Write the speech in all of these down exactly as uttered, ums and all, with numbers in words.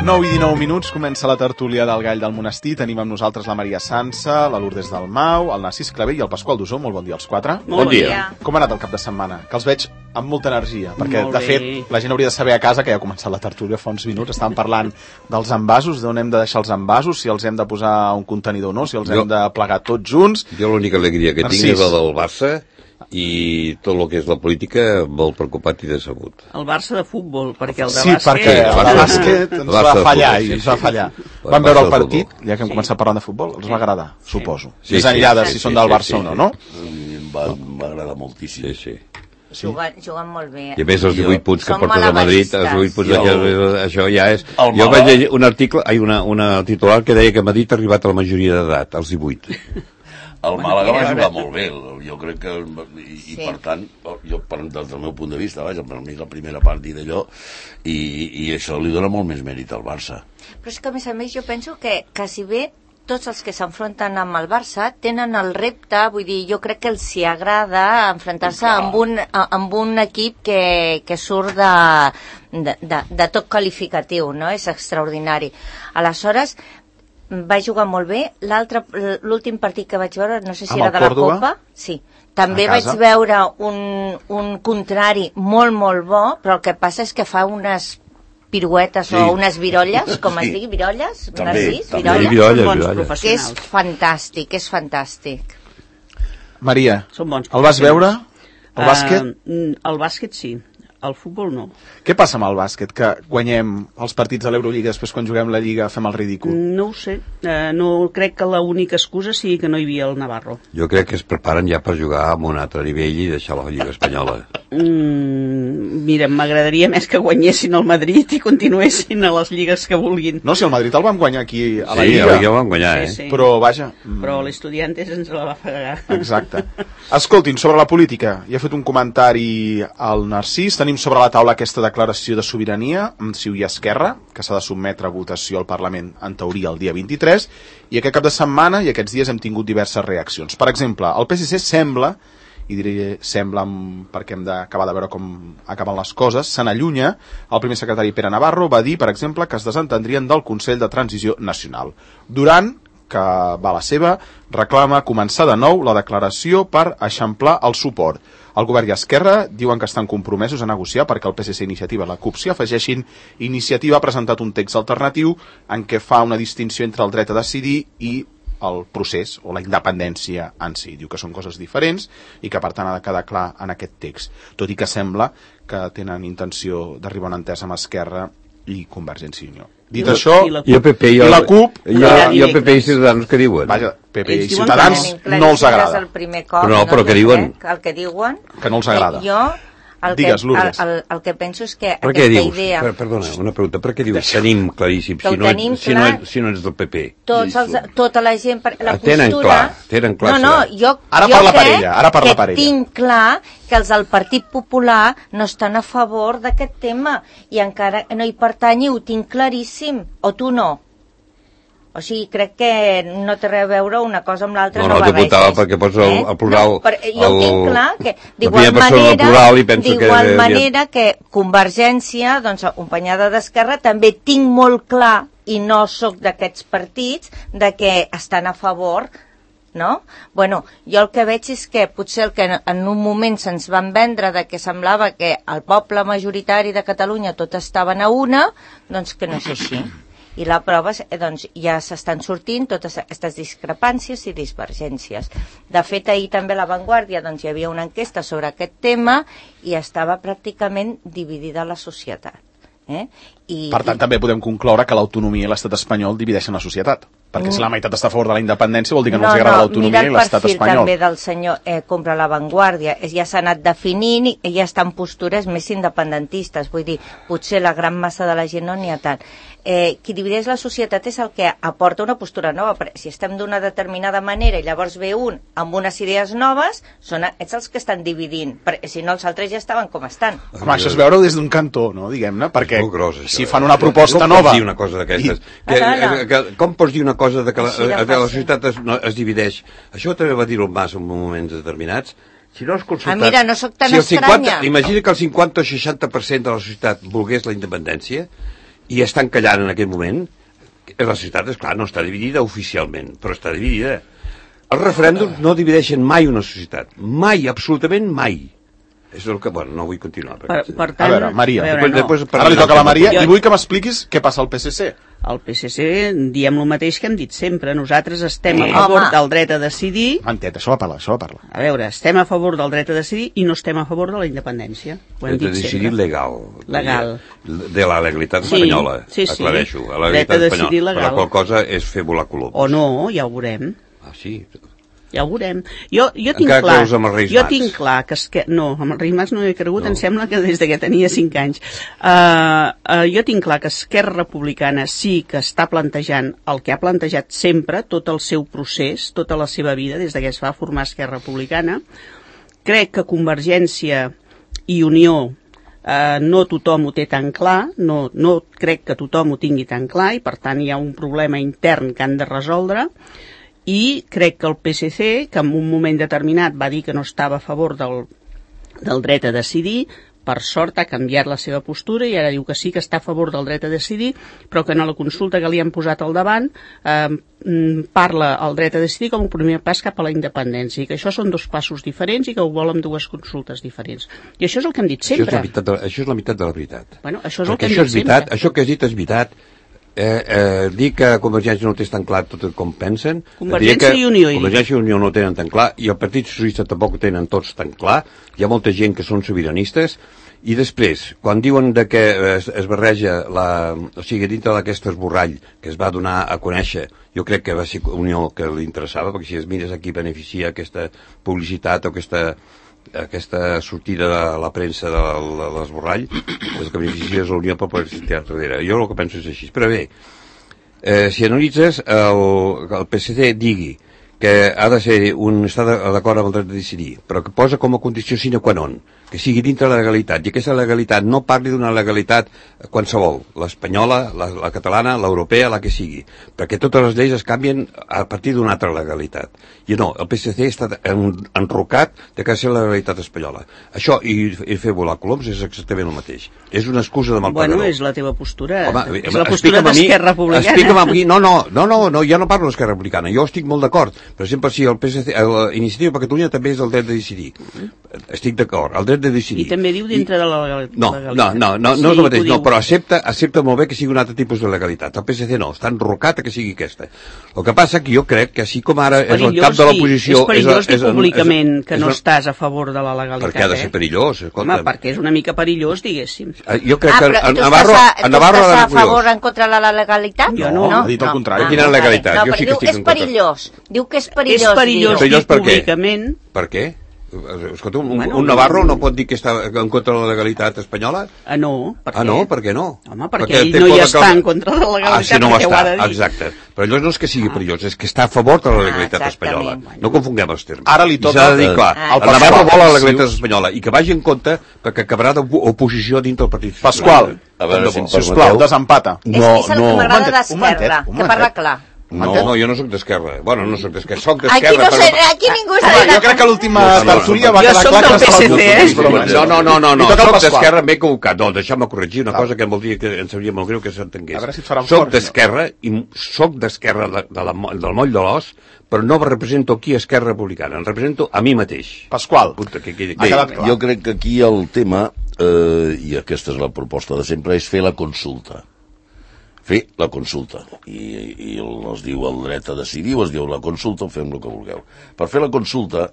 nou i dinou minuts, comença la tertúlia del Gall del Monestir. Tenim amb nosaltres la Maria Sansa, la Lourdes Dalmau, el Narcís Clavé i el Pasqual Dusó. Molt bon dia als quatre. Molt bon dia. Com ha anat el cap de setmana? Que els veig amb molta energia, perquè de fet la gent hauria de saber a casa que ja ha començat la tertúlia fa uns minuts. Estàvem parlant dels envasos, d'on hem de deixar els envasos, si els hem de posar a un contenidor o no, si els jo, hem de plegar tots junts. Jo l'única alegria que Narcís. tinc és la del Barça, i tot el que és la política molt preocupat i decebut. El Barça de futbol, perquè el de sí, bàsquet... Sí, perquè el de bàsquet ens va fallar i ens va fallar. Vam veure el partit, ja que hem començat parlant de futbol, els va agradar, suposo. Més enllà de si són del Barça o no, no? Va agradar moltíssim. Sí, sí. Sí. Juguen, juguen molt bé. I a més els divuit punts que porta de Madrid, els divuit punts de el... això ja és... Jo vaig llegir un article, ai, una, una titular que deia que Madrid ha arribat a la majoria d'edat, als divuit. El Màlaga va jugar molt bé, jo crec que, i, i sí. per tant, jo, per, des del meu punt de vista, vaja, per mi la primera partida d'allò, i, i això li dona molt més mèrit al Barça. Però és que, a més a més, jo penso que, que si bé tots els que s'enfronten amb el Barça tenen el repte, vull dir, jo crec que els hi agrada enfrontar-se amb un, amb un equip que, que surt de, de, de, de tot qualificatiu, no? És extraordinari. Aleshores, va jugar molt bé. L'altre, l'últim partit que vaig veure, no sé si amb era de la Còrdova? Copa, sí. També vaig veure un, un contrari molt, molt bo, però el que passa és que fa unes piruetes sí. o unes virolles, com sí. es digui, virolles? També, Narcís, també. virolles. Virolles, virolles. Que és fantàstic, és fantàstic. Maria, Són bons el vas veure? El bàsquet? Uh, el bàsquet sí, el futbol no. Què passa amb el bàsquet? Que guanyem els partits de l'Eurolliga, després quan juguem la Lliga fem el ridícul? No ho sé. Uh, no crec que l'única excusa sigui que no hi havia el Navarro. Jo crec que es preparen ja per jugar a un altre nivell i deixar la Lliga Espanyola. Mm, mira, m'agradaria més que guanyessin el Madrid i continuessin a les lligues que vulguin. No, si el Madrid el vam guanyar aquí a la sí, Lliga. Sí, a la Lliga el vam guanyar, eh? Sí, sí. Però, vaja... Però l'Estudiantes ens la va fregar. Exacte. Escoltin, sobre la política, ja he fet un comentari al Narcís. Tenim sobre la taula aquesta declaració de sobirania amb C I U i Esquerra, que s'ha de sotmetre a votació al Parlament, en teoria, el dia vint-i-tres, i aquest cap de setmana i aquests dies hem tingut diverses reaccions. Per exemple, el P S C sembla, i diré sembla perquè hem d'acabar de veure com acaben les coses, se n'allunya. El primer secretari Pere Navarro va dir, per exemple, que es desentendrien del Consell de Transició Nacional. Duran, que va a la seva, reclama començar de nou la declaració per eixamplar el suport. El govern i Esquerra diuen que estan compromesos a negociar perquè el P S C, Iniciativa i la CUP s'hi afegeixin. Iniciativa ha presentat un text alternatiu en què fa una distinció entre el dret a decidir i el procés o la independència en si. Diu que són coses diferents i que per tant ha de quedar clar en aquest text, tot i que sembla que tenen intenció d'arribar a una entesa amb Esquerra i Convergència i Unió. Dit I això, i la i el P P i, el, i la CUP i, el, i el P P i Ciutadans què diuen? Vaja, P P Ells i Ciutadans no els agrada. El primer cop, però no, però què diuen? El que diuen que no els agrada. Jo El Digues, que, Lourdes. El, el, el que penso és que per aquesta dius? idea... Per, perdona, una pregunta. Per què dius tenim claríssim si, no, tenim si, clar, no, si no ets del P P? Tots els, tota la gent... La tenen postura... clar, tenen clar. No, no, jo, ara jo parla crec per ella, ara parla que per ella. tinc clar que els del Partit Popular no estan a favor d'aquest tema i encara no hi pertanyi, ho tinc claríssim. O tu no? O sigui, crec que no té res a veure una cosa amb l'altra. No, no, no t'apuntava perquè pots el, el plural... No, però jo el, tinc clar que d'igual manera, d'igual manera que Convergència, doncs, acompanyada d'Esquerra, també tinc molt clar, i no sóc d'aquests partits, de que estan a favor, no? Bueno, jo el que veig és que potser el que en un moment se'ns van vendre de que semblava que el poble majoritari de Catalunya tot estaven a una, doncs que no és així. I la prova, doncs, ja s'estan sortint totes aquestes discrepàncies i divergències. De fet, ahir també a La Vanguardia doncs, hi havia una enquesta sobre aquest tema i estava pràcticament dividida la societat. Eh? I, per tant, i... també podem concloure que l'autonomia i l'estat espanyol divideixen la societat. Perquè si la meitat està a favor de la independència vol dir que no, no els agrada no, l'autonomia i l'estat espanyol. Mira el perfil també del senyor eh, Compra La Vanguardia. Ja s'ha anat definint i ja estan postures més independentistes. Vull dir, potser la gran massa de la gent no n'hi ha tant. Eh, qui divideix la societat és el que aporta una postura nova. Però si estem d'una determinada manera i llavors ve un amb unes idees noves, són ets els que estan dividint. Perquè si no, els altres ja estaven com estan. Home, això és veure-ho des d'un cantó, no? Diguem-ne, perquè gros, això, si fan una proposta com nova... Com pots dir una cosa d'aquestes? I... Que, que, que, com pots dir una cosa de que la, de la societat es, no, es divideix? Això també va dir el Mas en moments determinats. Si no has consultat... Ah, mira, no sóc tan si el cinquanta, estranya. imagina que el cinquanta o seixanta per cent de la societat volgués la independència i estan callant en aquest moment, la societat, esclar, no està dividida oficialment, però està dividida. Els referèndums no divideixen mai una societat. Mai, absolutament mai. És el que... Bueno, no vull continuar. Per, per tant, a veure, Maria, a veure, després, no. després, ara li toca a la Maria jo... i vull que m'expliquis què passa al P S C. Al P S C diem el mateix que hem dit sempre. Nosaltres estem a favor Home. del dret a decidir... Mantet, això va parlar, això va parlar. A veure, estem a favor del dret a decidir i no estem a favor de la independència. Ho hem dit sempre. Decidir legal. Legal. De la legalitat sí, espanyola. Sí, sí. Aclareixo. La legalitat espanyola. Per la qual cosa és fer volar coloms. O no, ja ho veurem. Ah, sí? Ja ho veurem. Jo, jo tinc Encara clar, creus amb els Reis jo Mags? tinc clar que, es, que no, amb els Reis Mags no he cregut, No. em sembla que des que tenia cinc anys. Uh, uh, jo tinc clar que Esquerra Republicana sí que està plantejant el que ha plantejat sempre, tot el seu procés, tota la seva vida, des que es va formar Esquerra Republicana. Crec que Convergència i Unió uh, no tothom ho té tan clar, no, no crec que tothom ho tingui tan clar i per tant hi ha un problema intern que han de resoldre. I crec que el P S C, que en un moment determinat va dir que no estava a favor del, del dret a decidir, per sort ha canviat la seva postura i ara diu que sí que està a favor del dret a decidir, però que en la consulta que li han posat al davant eh, parla el dret a decidir com un primer pas cap a la independència, i que això són dos passos diferents i que ho vol amb dues consultes diferents. I això és el que hem dit sempre. Això és la meitat de, això és la meitat de la veritat. Bueno, això és el Perquè que hem això dit és veritat, sempre. això que has dit és veritat. Eh, eh, dir que Convergència no té tan clar tot com pensen, Convergència i Unió, Convergència i Unió no tenen tan clar i el Partit Socialista tampoc ho tenen tots tan clar. Hi ha molta gent que són sobiranistes i després, quan diuen de que es, es barreja la, o sigui, dintre d'aquest esborrall que es va donar a conèixer, jo crec que va ser Unió que li interessava, perquè si es mires aquí beneficia aquesta publicitat o aquesta aquesta sortida de la premsa de l'esborrall, és que beneficia la Unió per poder tirar darrere. Jo el que penso és així. Però bé, eh, si analitzes el, el P S C digui que ha de ser un estar d'acord amb el dret de decidir, però que posa com a condició sine qua non que sigui dintre de la legalitat, i aquesta legalitat no parli d'una legalitat qualsevol, l'espanyola, la, la catalana, l'europea, la que sigui, perquè totes les lleis es canvien a partir d'una altra legalitat. I no, el P S C està en, enrocat de que ha de ser la legalitat espanyola. Això i, i fer volar coloms és exactament el mateix. És una excusa de malpagador. Bueno, és la teva postura. Home, és la postura d'Esquerra Republicana. Explica'm a mi, no, no, no, no, no, ja no parlo d'Esquerra Republicana, jo estic molt d'acord. Per exemple, si el P S C, l'Iniciativa per Catalunya també és el dret de decidir. Estic d'acord, el dret de decidir. I també diu dintre I... de la legalitat. No, no, no, no, sí, no és el mateix, no, però accepta, accepta molt bé que sigui un altre tipus de legalitat. El P S C no, està enrocat a que sigui aquesta. El que passa que jo crec que així com ara és el cap de l'oposició... És perillós dir públicament és, és, que no és, estàs a favor de la legalitat. Perquè ha de ser perillós, escolta. Home, perquè és una mica perillós, diguéssim. Jo crec ah, que a Navarro... A Navarro tu estàs a favor en contra de la legalitat? Jo no, no. Ha dit el contrari. No. Quina legalitat? No, jo sí que estic és perillós. Diu que és perillós. És perillós dir públicament... Per què? Escolta, un, bueno, un Navarro no pot dir que està en contra de la legalitat espanyola? Ah, no. Per ah, no? Per què no? Home, perquè, perquè ell no hi està en contra de la legalitat, ah, si no perquè està, ho ha de dir. Exacte. Però allò no és que sigui perillós, és que està a favor de la legalitat ah, espanyola. Bueno. No confonguem els termes. Ara li toca... I s'ha de dir, clar, ah, el Navarro vol la legalitat espanyola i que vagi en compte perquè acabarà d'oposició dintre del Partit Pasqual, a veure si em sisplau, desempata. No, és el que m'agrada d'Esquerra, que parla clar. No, no, jo no soc d'Esquerra. Bueno, no soc d'Esquerra, soc Aquí d'Esquerra. no sé, aquí ningú és d'Esquerra. Jo crec que l'última tertúlia va quedar clar que soc del P S C, eh? No, no, no, no, no, soc d'Esquerra, m'he equivocat. No, deixa'm corregir una cosa que em voldria que em sabria molt greu que s'entengués. Soc d'Esquerra i soc d'Esquerra del moll de l'os, però no represento aquí Esquerra Republicana, em represento a mi mateix. Pasqual, Bé, jo crec que aquí el tema, i aquesta és la proposta de sempre, és fer la consulta. Fer la consulta. I, i es diu el dret a decidir, o es diu la consulta, o fem el que vulgueu. Per fer la consulta,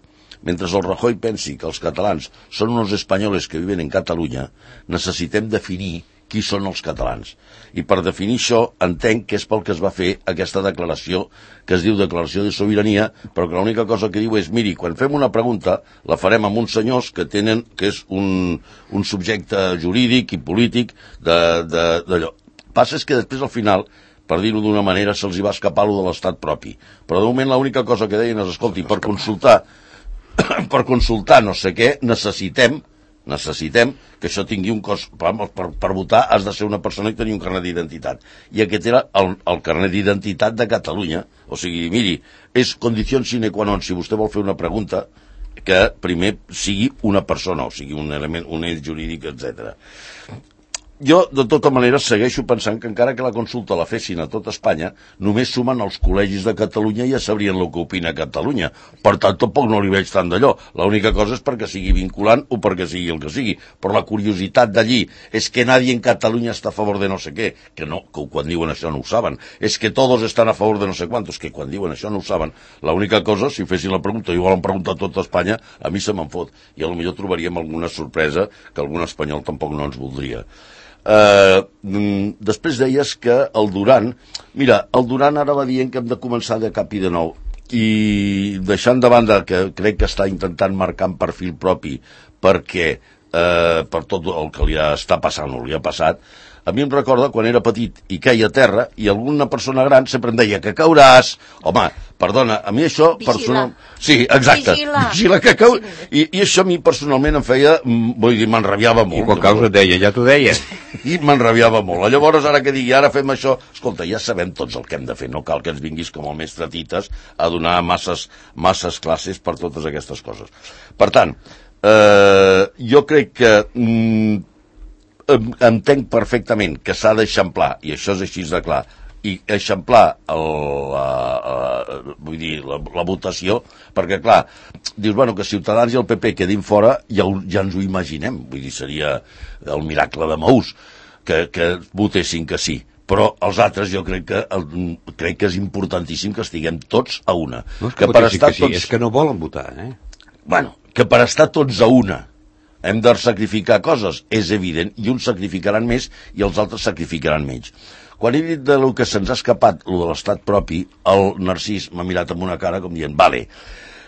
mentre el Rajoy pensi que els catalans són uns espanyoles que viven en Catalunya, necessitem definir qui són els catalans. I per definir això, entenc que és pel que es va fer aquesta declaració, que es diu Declaració de Sobirania, però que l'única cosa que diu és, miri, quan fem una pregunta, la farem amb uns senyors que tenen, que és un, un subjecte jurídic i polític d'allò. Passa és que després, al final, per dir-ho d'una manera, se'ls hi va escapar lo de l'estat propi. Però de moment l'única cosa que deien és, escolti, per consultar, per consultar no sé què, necessitem, necessitem que això tingui un cost. Per, per, per votar has de ser una persona que tenia un carnet d'identitat. I aquest era el, el carnet d'identitat de Catalunya. O sigui, miri, és condició sine qua non, si vostè vol fer una pregunta, que primer sigui una persona, o sigui, un element, un ell jurídic, etcètera. jo, de tota manera, segueixo pensant que encara que la consulta la fessin a tot Espanya, només sumen els col·legis de Catalunya i ja sabrien el que opina Catalunya. Per tant, tampoc no li veig tant d'allò. L'única cosa és perquè sigui vinculant o perquè sigui el que sigui. Però la curiositat d'allí és que nadie en Catalunya està a favor de no sé què, que no, que quan diuen això no ho saben. És que todos estan a favor de no sé quantos, que quan diuen això no ho saben. L'única cosa, si fessin la pregunta i volen preguntar a tot Espanya, a mi se me'n fot. I potser trobaríem alguna sorpresa que algun espanyol tampoc no ens voldria. Uh, després deies que el Duran, mira, el Duran ara va dient que hem de començar de cap i de nou, i deixant de banda que crec que està intentant marcar un perfil propi perquè uh, per tot el que li està passant o li ha passat, a mi em recorda quan era petit i queia a terra i alguna persona gran sempre em deia que cauràs. Home, perdona, a mi això... Vigila. Personal... Sí, exacte. Vigila. Vigila que cau... I, I això a mi personalment em feia... Vull dir, m'enrabiava molt. I quan caus et deia, ja t'ho deia. I m'enrabiava molt. Llavors, ara que digui, ara fem això... Escolta, ja sabem tots el que hem de fer. No cal que ens vinguis com el mestre Tites a donar masses, masses classes per totes aquestes coses. Per tant, eh, jo crec que... Mm, entenc perfectament que s'ha d'eixamplar, i això és així de clar, i eixamplar el, la, la, vull dir, la, la votació, perquè clar, dius, bueno, que Ciutadans i el P P quedin fora, ja, ja ens ho imaginem, vull dir, seria el miracle de Maús, que, que votessin que sí. Però els altres jo crec que el, crec que és importantíssim que estiguem tots a una. No és que, que per estar que sí, tots... és que no volen votar, eh? Bueno, que per estar tots a una hem de sacrificar coses, és evident, i uns sacrificaran més i els altres sacrificaran menys. Quan he dit de lo que se'ns ha escapat, lo de l'estat propi, el Narcís m'ha mirat amb una cara com dient, vale,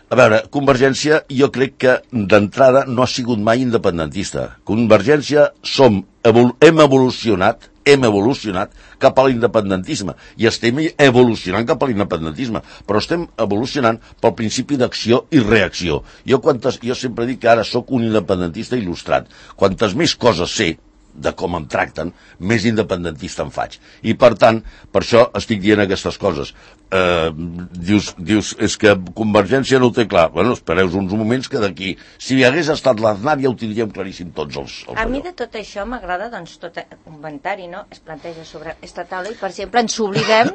a veure, Convergència jo crec que d'entrada no ha sigut mai independentista. Convergència som, evol hem evolucionat, hem evolucionat cap a l'independentisme i estem evolucionant cap a l'independentisme, però estem evolucionant pel principi d'acció i reacció. Jo, quantes, jo sempre dic que ara sóc un independentista il·lustrat. Quantes més coses sé de com em tracten, més independentista em faig. I per tant, per això estic dient aquestes coses. Eh, dius, dius, és que Convergència no ho té clar. Bueno, espereu uns moments que d'aquí, si hi hagués estat l'Aznar ja ho tindríem claríssim tots els... els a mi de tot això m'agrada, doncs, tot el comentari, no?, es planteja sobre aquesta taula i, per exemple, ens oblidem,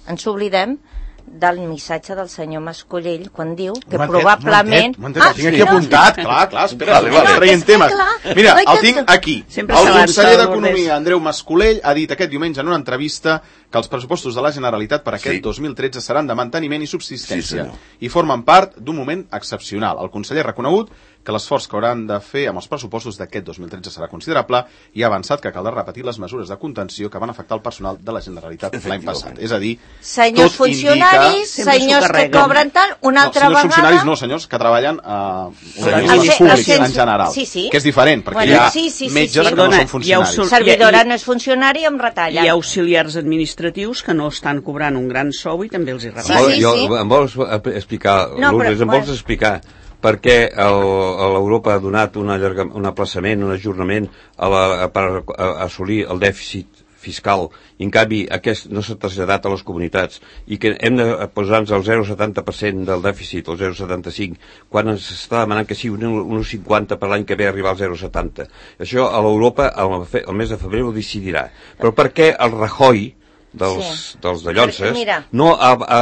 ens oblidem del missatge del senyor Mascolell quan diu que probablement... Un momentet, el tinc aquí apuntat, clar, clar, espera, vale, vale, traient temes. Mira, el tinc aquí. El conseller d'Economia, Andreu Mascolell, ha dit aquest diumenge en una entrevista que els pressupostos de la Generalitat per aquest sí. dos mil tretze seran de manteniment i subsistència sí, i formen part d'un moment excepcional. El conseller ha reconegut que l'esforç que hauran de fer amb els pressupostos d'aquest dos mil tretze serà considerable i ha avançat que caldrà repetir les mesures de contenció que van afectar el personal de la Generalitat l'any passat. És a dir, senyors tot funcionaris, indica... senyors que cobren tant, una no, altra senyors vegada... funcionaris no, senyors que treballen a uh, organismes públics en general, sí, sí. que és diferent, perquè bueno, hi ha sí, sí, metges sí, sí. que no són funcionaris. Us... Servidora no és funcionari i em retallen. Hi ha auxiliars administratius que no estan cobrant un gran sou i també els hi retallen. Sí, sí, jo, sí. Em vols explicar, no, Lourdes, em vols explicar per què l'Europa ha donat un, allarga, un aplaçament, un ajornament a la, a, per a, a assolir el dèficit fiscal i en canvi aquest no s'ha traslladat a les comunitats i que hem de posar-nos el zero coma setanta per cent del dèficit, el zero coma setanta cinc, quan ens està demanant que sigui un un coma cinquanta per l'any que ve arribar al zero coma setanta. Això a l'Europa el, el mes de febrer ho decidirà. Però per què el Rajoy dels, sí. dels de Llonses no ha, ha,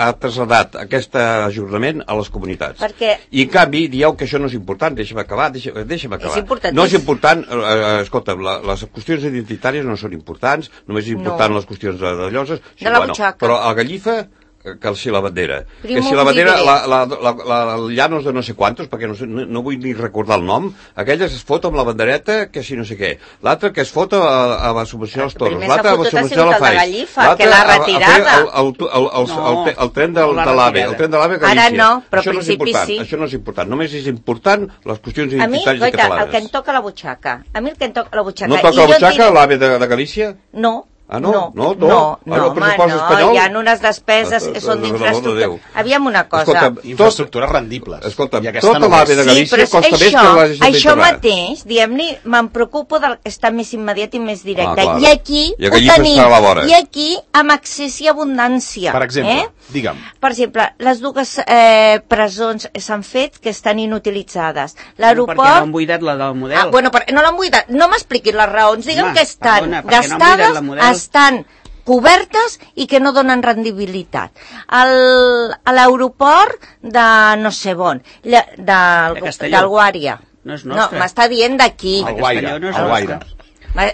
ha traslladat aquest ajornament a les comunitats? Perquè... I en canvi dieu que això no és important, deixa'm acabar, deixa'm, deixa'm acabar. És no és important, eh, escolta, la, les qüestions identitàries no són importants, només és important no. les qüestions de, de Llonses, sí, de la bueno, butxaca. Però a Gallifa que si la bandera, Primo que si la bandera la, la, la, la, la Llanos de no sé quantos, perquè no, no, no vull ni recordar el nom, aquella es fot amb la bandereta que si no sé què, l'altra que es fot a, a, a subvencionar els toros, l'altra a subvencionar la Faiz, que l'ha retirada el, el, el, el, el, el, el tren del, de l'AVE, el tren de l'AVE a Galícia. Ara no, però això no és important, sí. això no és important, només és important les qüestions identitàries catalanes. A mi, goita, catalanes. el que em toca la butxaca, a mi el que em toca la butxaca... No toca la butxaca l'AVE de, de Galícia? No. Ah, no? No, no, no, no, no, no home, no, hi ha unes despeses que són d'infraestructura. Aviam una cosa. Escolta, infraestrucures rendibles. Escolta, tota l'AVE de Galícia sí, costa més que la Generalitat. Això mateix, diguem-ne, me'n preocupo del que està més immediat i més directe. Ah, I aquí I ho tenim. I aquí amb accés i abundància. Per exemple. Eh? Digue'm. Per exemple, les dues eh, presons s'han fet que estan inutilitzades. L'aeroport... No, perquè no han buidat la del model. Ah, bueno, per... no l'han buidat. No m'expliquis les raons. Digue'm Home, que estan perdona, gastades, no model... estan cobertes i que no donen rendibilitat. El, a l'aeroport de no sé on, de, del, de del Guària. No és nostre. No, m'està dient d'aquí. El Guaire, no el Guaire.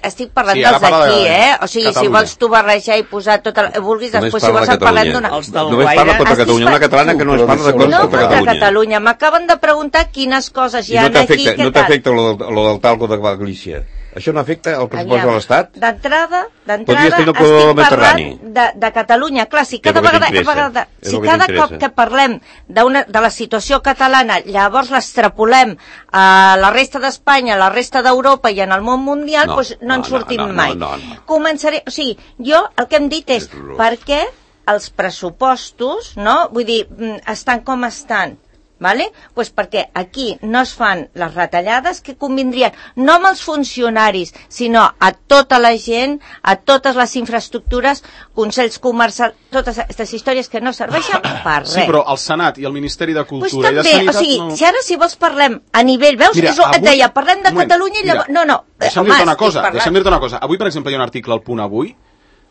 Estic parlant Sí, dels d'aquí, de... eh? O sigui, Catalunya. si vols tu barrejar i posar tot el... Vulguis, Només després si vols et parlem d'una... Els del Només Guaire... parla contra Catalunya, una catalana que no es parla de coses No, contra contra Catalunya. Catalunya. M'acaben de preguntar quines coses hi I ha no aquí... t'afecta no t'afecta lo, lo del talco de Galícia? Això no afecta el pressupost de l'Estat? D'entrada, Podries d'entrada tenir el estic corredor parlant mediterrani. de, de Catalunya. Clar, si Que és cada el que vegada, t'interessa. vegada És si el que cada t'interessa. cop que parlem d'una de la situació catalana, llavors l'extrapolem a la resta d'Espanya, a la resta d'Europa i en el món mundial, No, doncs no, no, en sortim no, no, mai. no, no. Començaré... O sigui, jo el que hem dit és, És horrorós. per què els pressupostos, no? Vull dir, mm, estan com estan. Vale? Pues perquè aquí no es fan les retallades que convindrien no amb els funcionaris, sinó a tota la gent, a totes les infraestructures, consells comercials, totes aquestes històries que no serveixen per res. Sí, però el Senat i el Ministeri de Cultura pues també, i de Sanitat... o sigui, no... si ara si vols parlem a nivell, veus, Mira, és, et avui... deia, parlem de moment, Catalunya i llavors... mira, No, no, Deixa'm home, dir-te una estic cosa, parlant- deixa'm dir-te una cosa. Avui, per exemple, hi ha un article al Punt Avui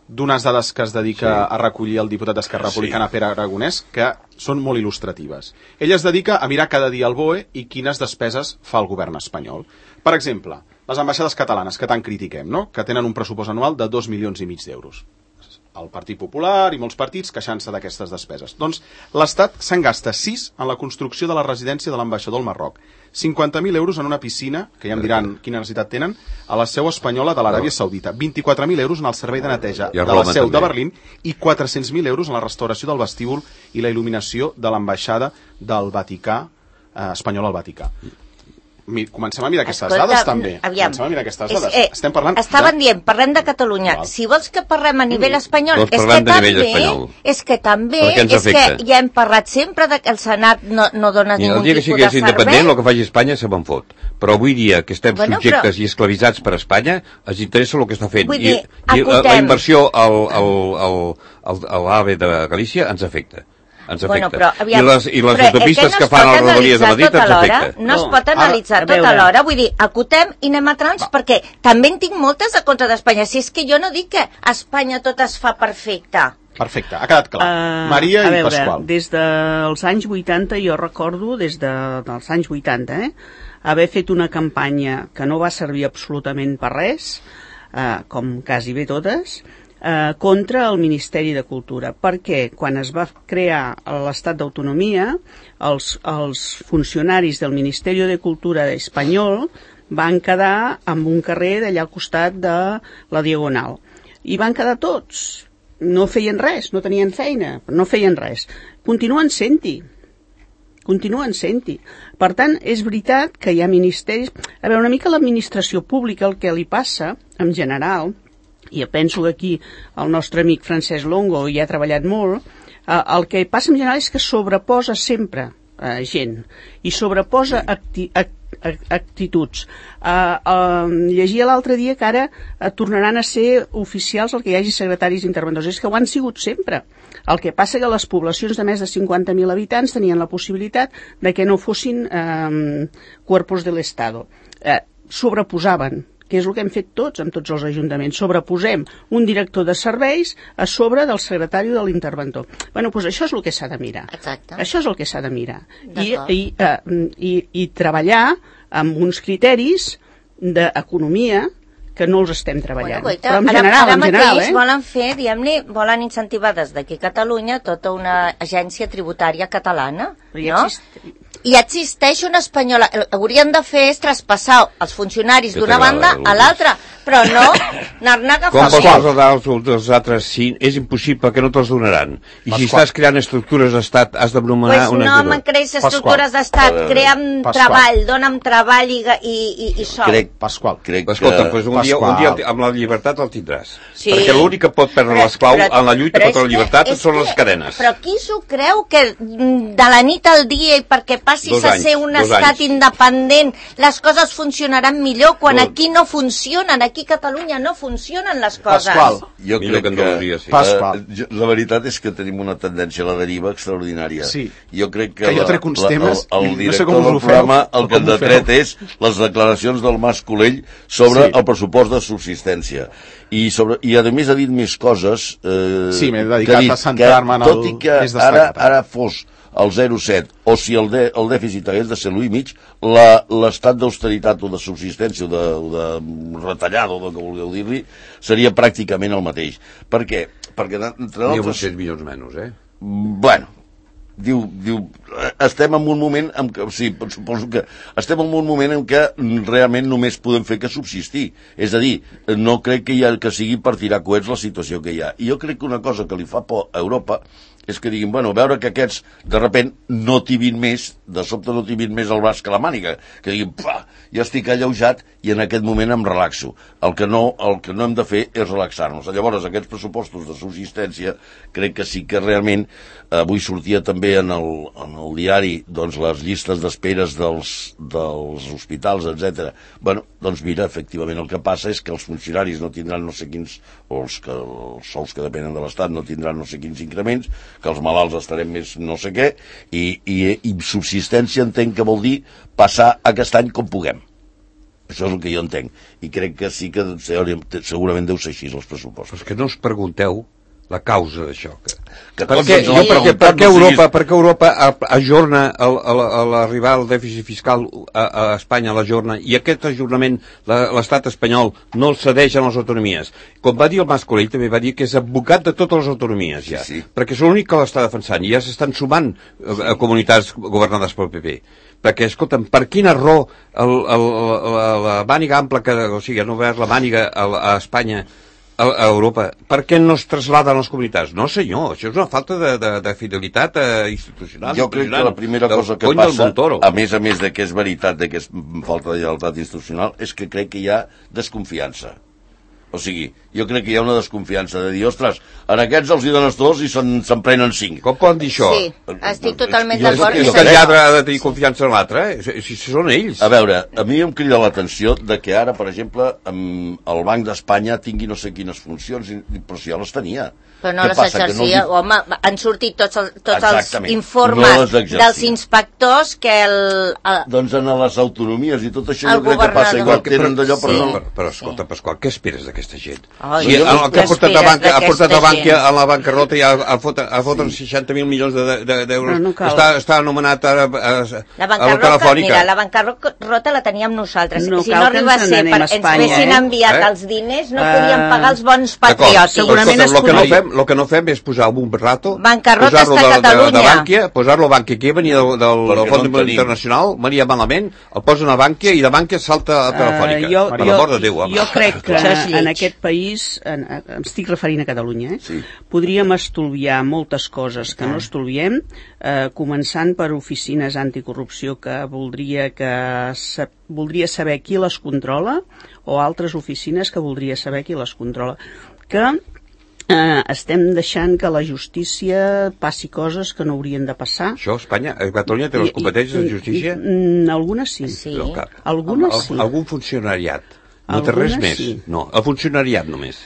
d'unes dades que es dedica sí. a recollir el diputat d'Esquerra Republicana, sí. Pere Aragonès, que són molt il·lustratives. Ell es dedica a mirar cada dia el B O E i quines despeses fa el govern espanyol. Per exemple, les ambaixades catalanes, que tant critiquem, no? Que tenen un pressupost anual de dos milions i mig d'euros. El Partit Popular i molts partits queixant-se d'aquestes despeses. Doncs l'Estat se'n gasta sis en la construcció de la residència de l'ambaixador al Marroc, cinquanta mil euros en una piscina, que ja em diran quina necessitat tenen, a la seu espanyola de l'Aràbia Saudita, vint-i-quatre mil euros en el servei de neteja de la seu de Berlín i quatre-cents mil euros en la restauració del vestíbul i la il·luminació de l'ambaixada del Vaticà, eh, espanyol al Vaticà. Mi, comencem a mirar aquestes Escolta, dades també. Aviam, comencem a mirar aquestes és, dades. eh, Estem parlant estaven de... dient, parlem de Catalunya. Val. Si vols que parlem a nivell espanyol, Doncs és que, parlem de nivell també, espanyol. és que també, Perquè ens és que afecta. ja hem parlat sempre de que el Senat no, no dona I ningú el dia que tipus sigués de independent, servei. el que faci Espanya se me'n fot. Però avui dia que estem Bueno, subjectes però- i esclavitzats per Espanya, ens interessa el que està fent. Vull I, dir, i la, la acotem. inversió al, al, al, al, a l'AVE de Galícia ens afecta. Ens afecta. Bueno, però, aviam, I les, i les però, eh, autopistes no que es fan pot a les rodalies de analitzar Madrid tot ens alhora, afecta. No es No, pot analitzar ara, a tot veure. alhora. Vull dir, acotem i anem a trams, perquè també en tinc moltes a contra d'Espanya. Si és que jo no dic que a Espanya tot es fa perfecte. Perfecte, ha quedat clar. Uh, Maria a i veure, Pasqual. Des dels anys vuitanta, jo recordo, des de, dels anys vuitanta, eh, haver fet una campanya que no va servir absolutament per res, uh, com quasi bé totes, uh, contra el Ministeri de Cultura, perquè quan es va crear l'estat d'autonomia, els, els funcionaris del Ministeri de Cultura espanyol van quedar en un carrer d'allà al costat de la Diagonal. I van quedar tots. No feien res, no tenien feina, no feien res. Continuen sent-hi. Continuen sent-hi. Per tant, és veritat que hi ha ministeris... A veure, una mica l'administració pública, el que li passa, en general, i jo penso que aquí el nostre amic Francesc Longo hi ha treballat molt, eh, el que passa en general és que sobreposa sempre eh, gent i sobreposa acti act actituds. Uh, uh, llegia l'altre dia que ara uh, tornaran a ser oficials el que hi hagi secretaris interventors. És que ho han sigut sempre. El que passa que les poblacions de més de cinquanta mil habitants tenien la possibilitat de que no fossin um, cuerpos del Estado. Uh, sobreposaven, que és el que hem fet tots amb tots els ajuntaments. Sobreposem un director de serveis a sobre del secretari o de l'interventor. Bueno, doncs això és el que s'ha de mirar. Exacte. Això és el que s'ha de mirar. I, I, uh, i, i treballar amb uns criteris d'economia que no els estem treballant. Bueno, però en ara, general, ara en general, mateix eh? volen fer, diguem-ne, volen incentivar des d'aquí a Catalunya tota una agència tributària catalana, ja no? existe... I existeix una espanyola. El que haurien de fer és traspassar els funcionaris Que d'una t'agrada, banda a Lourdes. l'altra, però no anar-ne a Com agafar. vols els dels, dels altres sí, és impossible que no te'ls donaran. I si estàs creant estructures d'estat, has de nomenar Pues una... no me'n creïs estructures d'estat, crea'm treball, dona'm treball i, i, i, i sou. Crec, Pasqual. crec Escolta, que... pues un, dia, un dia amb la llibertat el tindràs. Sí. Perquè l'únic que pot perdre Però- l'esclau però- en la lluita però contra és la llibertat que- és són que- les cadenes. Però qui s'ho creu que mm, de la nit al dia i perquè passi passi a ser un estat independent, les coses funcionaran millor, quan aquí no funcionen, aquí a Catalunya no funcionen les coses. Pasqual. Jo crec que, que sí. Pasqual. eh, la veritat és que tenim una tendència a la deriva extraordinària. Sí. Jo crec que, Que jo la, trec uns la, temes el, el i no sé director com us del ho feu, programa el o que com ens ho ha feu. tret és les declaracions del Mas Colell sobre Sí. el pressupost de subsistència. I, sobre, i a més ha dit més coses eh, Sí, m'he que dedicat ha dit a centrar-me en el tot i que més ara, destacat. ara fos el zero coma set o si el, de, el dèficit hagués de ser l'u i mig, la- l'estat d'austeritat o de subsistència o de, o de retallada o del que vulgueu dir-li seria pràcticament el mateix. Per què? Perquè entre N'hi ha altres... vuit-cents milions menys, eh? Bueno, diu, diu, estem en un moment en què, sí, suposo que estem en un moment en què realment només podem fer que subsistir. És a dir, no crec que, hi ha, que sigui per tirar coets la situació que hi ha. I jo crec que una cosa que li fa por a Europa és que diguin, bueno, veure que aquests de repent no tibin més, de sobte no tibin més el braç que la màniga, que diguin, pa, jo estic alleujat i en aquest moment em relaxo. El que no, el que no hem de fer és relaxar-nos. Llavors, aquests pressupostos de subsistència crec que sí que realment, avui sortia també en el, en el diari doncs, les llistes d'esperes dels, dels hospitals, etcètera. Bueno, doncs mira, efectivament el que passa és que els funcionaris no tindran no sé quins, o els, que, els sous que depenen de l'Estat no tindran no sé quins increments, que els malalts estarem més no sé què, i, i, i subsistència entenc que vol dir passar aquest any com puguem. Això és el que jo entenc. I crec que sí que segurament deu ser així els pressupostos. Però és que no us pregunteu la causa d'això. Que... Que Per tots què, ens jo, ho han per, què, per, preguntat, què no Europa, siguis- per què Europa a- ajorna el- a la- a l'arribar al dèficit fiscal a, a Espanya, l'ajorna, i aquest ajornament la- l'estat espanyol no el cedeix a les autonomies? Com va dir el Mas Colell, també va dir que és advocat de totes les autonomies, ja, Sí, sí. perquè és l'únic que l'està defensant, i ja s'estan sumant a, a comunitats governades pel P P. Perquè, escolta'm, per quina raó el, el, la, la màniga ampla, que, o sigui, no veure la màniga a, a Espanya, a, a Europa, per què no es traslladen a les comunitats? No, senyor, això és una falta de, de, de fidelitat eh, institucional. Jo crec que la primera del cosa que cony del passa, Montoro. a més a més de que és veritat de que és falta de lleialtat institucional, és que crec que hi ha desconfiança. O sigui, jo crec que hi ha una desconfiança de dir, ostres, en aquests els hi dones dos i se'n se'n prenen cinc. Com poden dir això? Sí, estic totalment I és, d'acord. és que el lladre ha de tenir confiança en l'altre, eh? Si, si són ells. A veure, a mi em crida l'atenció de que ara, per exemple, amb el Banc d'Espanya tingui no sé quines funcions, i- però si ja les tenia. Però no Què les passa, que exercia, no els hi- home, han sortit tots, el, tots els Exactament, informes no les exercia. dels inspectors que el... el Doncs en les autonomies i tot això El jo crec que passa governador. igual, tenen d'allò, però Sí. no... Però, però escolta, Pasqual, què esperes d'aquesta gent? Ai, Sí, el, el que ha què portat, a esperes banca, ha portat a d'aquesta banca gent? a la bancarrota i a, a fotre, a fotre seixanta mil milions de- de- d'euros. Però no cal. està, està anomenat ara a, a, La a la bancarrota, telefònica. mira, la bancarrota la teníem nosaltres. No si cal no que arriba a ens ser, n'anem per, a ens Espanya, haguessin eh? enviat Eh? els diners, no Eh, podíem pagar els bons D'acord. patriòtics. Segurament Escolta, es el que, no podria. fem, lo que no fem és posar un rato, Bancarrota posar-lo està a de, de, de Catalunya. Bànquia, posar-lo a Bànquia, que venia del, del, Perquè del Fons no en Monetari tenim. Internacional, venia malament, el posen a Bànquia i de Bànquia salta a Telefònica. Eh, jo, per jo, l'amor de Déu, home. jo crec que Això és lleig. en aquest país, en, em estic referint a Catalunya, eh? Sí. podríem estolviar moltes coses que no estolviem, eh, començant per oficines anticorrupció que voldria, que sa, voldria saber qui les controla, o altres oficines que voldria saber qui les controla. Que eh, estem deixant que la justícia passi coses que no haurien de passar. Això, Espanya, a Catalunya té les competències de justícia? I, i, algunes sí. Sí. Però cap. Algunes Al- sí. Algun funcionariat. No té Algunes res més. sí. No, el funcionariat només.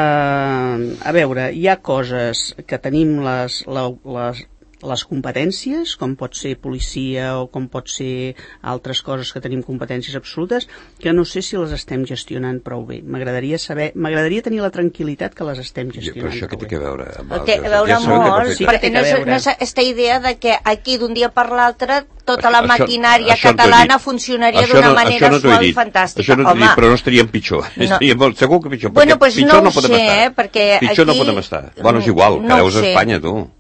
Uh, a veure, hi ha coses que tenim les, la, les, les competències, com pot ser policia o com pot ser altres coses que tenim competències absolutes, que no sé si les estem gestionant prou bé. M'agradaria saber, m'agradaria tenir la tranquil·litat que les estem I, gestionant però això què prou té bé. que veure? Amb Té a altres? veure Ja sabem que molt, no Sí té- que perquè té no que és, veure. no és aquesta idea de que aquí d'un dia per l'altre tota Això- la això- maquinària això no t'ho he catalana dit. funcionaria Això d'una no- manera això no t'ho he suau i dit. fantàstica. Això no t'ho he dit, Home, però no estaríem pitjor. No. Estaríem molt, segur que pitjor, Bueno, perquè pues pitjor no no ho podem sé, estar. eh, perquè pitjor no aquí- podem estar. Bueno, és igual, no que ho veus a sé. Espanya, tu.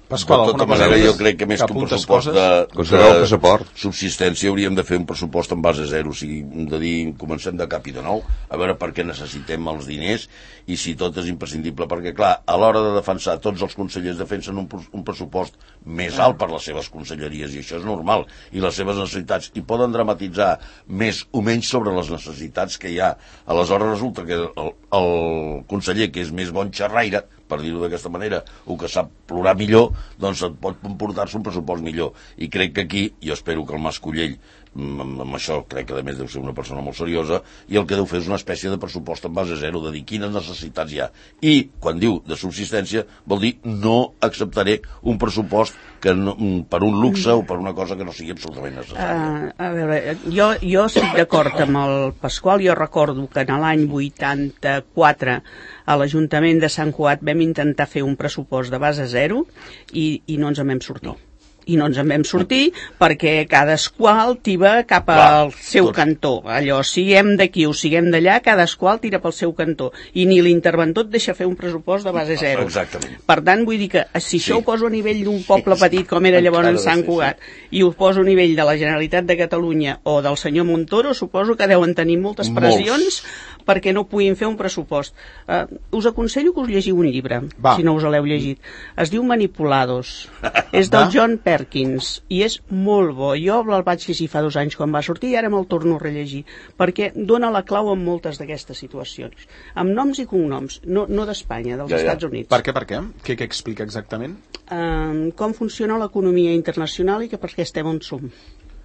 Pasqual, de alguna tota cosa manera, més? jo crec que més que un apuntes pressupost coses? de, Conservar el de passaport. subsistència hauríem de fer un pressupost en base zero, o sigui, de dir, comencem de cap i de nou, a veure per què necessitem els diners i si tot és imprescindible, perquè clar, a l'hora de defensar, tots els consellers defensen un, un pressupost més alt per les seves conselleries, i això és normal, i les seves necessitats, i poden dramatitzar més o menys sobre les necessitats que hi ha. Aleshores resulta que el, el conseller, que és més bon xerraire, per dir-ho d'aquesta manera, o que sap plorar millor, doncs et pot comportar-se un pressupost millor. I crec que aquí, jo espero que el Mas Collell, amb, amb això crec que a més deu ser una persona molt seriosa, i el que deu fer és una espècie de pressupost en base zero, de dir quines necessitats hi ha. I quan diu de subsistència vol dir no acceptaré un pressupost que no, per un luxe o per una cosa que no sigui absolutament necessària. Uh, a veure, jo, jo estic d'acord amb el Pasqual. Jo recordo que en l'any vuitanta-quatre a l'Ajuntament de Sant Cugat vam intentar fer un pressupost de base zero i, i no ens en vam sortir. No. I no ens en vam sortir perquè cadasqual tiba cap al Clar, seu tot. cantó. Allò, siguem d'aquí o siguem d'allà, cadasqual tira pel seu cantó. I ni l'interventor et deixa fer un pressupost de base zero. Exactament. Per tant, vull dir que si això sí. ho poso a nivell d'un poble petit com era llavors en Sant Cugat sí, sí. i ho poso a nivell de la Generalitat de Catalunya o del senyor Montoro, suposo que deuen tenir moltes pressions Molts. perquè no puguin fer un pressupost. Uh, us aconsello que us llegiu un llibre, Va. si no us l'heu llegit. Es diu Manipulados. És del John Perkins i és molt bo. Jo el vaig llegir fa dos anys quan va sortir i ara me'l torno a rellegir perquè dona la clau en moltes d'aquestes situacions. Amb noms i cognoms, no, no d'Espanya, dels ja, ja. Estats Units. Per què, per què? Què, què explica exactament? Uh, com funciona l'economia internacional i que per què estem on som.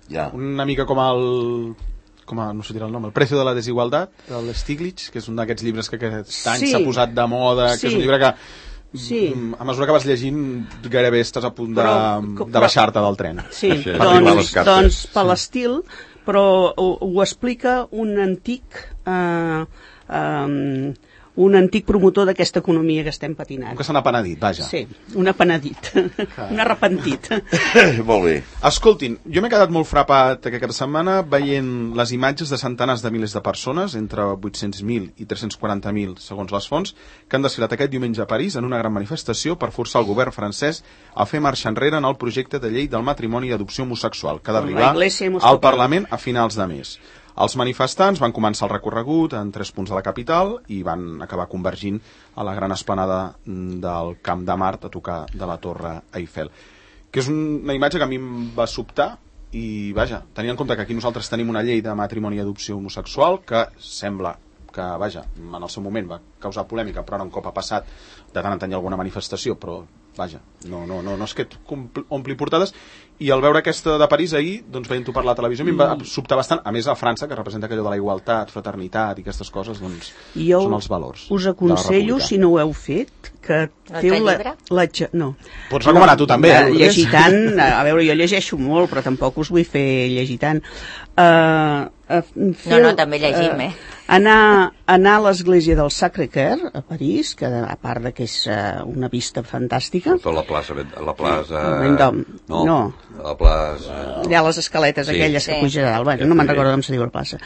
Ja. Una mica com el... com a, no sé dir el nom, El precio de la desigualtat, del Stiglitz, que és un d'aquests llibres que aquest any s'ha sí. posat de moda, sí. que és un llibre que sí. a mesura que vas llegint gairebé estàs a punt de, però, de baixar-te del tren. Sí, sí. doncs, doncs per l'estil, però ho, ho explica un antic eh, eh, un antic promotor d'aquesta economia que estem patinant. Que se n'ha penedit, vaja. Sí, un apenedit, un arrepentit. Molt bé. Escoltin, jo m'he quedat molt frapat aquesta setmana veient les imatges de centenars de milers de persones, entre vuit-cents mil i tres-cents quaranta mil, segons les fonts, que han desfilat aquest diumenge a París en una gran manifestació per forçar el govern francès a fer marxa enrere en el projecte de llei del matrimoni i adopció homosexual, que ha d'arribar al Parlament a finals de mes. Els manifestants van començar el recorregut en tres punts de la capital i van acabar convergint a la gran esplanada del Camp de Mart a tocar de la Torre Eiffel. Que és una imatge que a mi em va sobtar i, vaja, tenint en compte que aquí nosaltres tenim una llei de matrimoni i adopció homosexual que sembla que, vaja, en el seu moment va causar polèmica, però ara un cop ha passat, de tant en tant hi ha alguna manifestació, però, vaja, no, no, no, no és que et ompli portades. I al veure aquesta de París ahir, doncs veient-ho per la televisió, mm. em va sobtar bastant, a més a França, que representa allò de la igualtat, fraternitat i aquestes coses, doncs jo són els valors. Us aconsello, si no ho heu fet, que feu la... la no. Pots recomanar no, tu també, eh? Llegir tant, a veure, jo llegeixo molt, però tampoc us vull fer llegir tant. Uh, uh, feu, no, no, també llegim, eh? Uh, anar, anar a l'església del Sacré-Cœur, a París, que a part de que és uh, una vista fantàstica. Tota la plaça... La plaça Vendôme. No. no. La plaça... Hi ha les escaletes sí. aquelles sí. que puja a dalt. Bueno, no me'n recordo com se diu la plaça.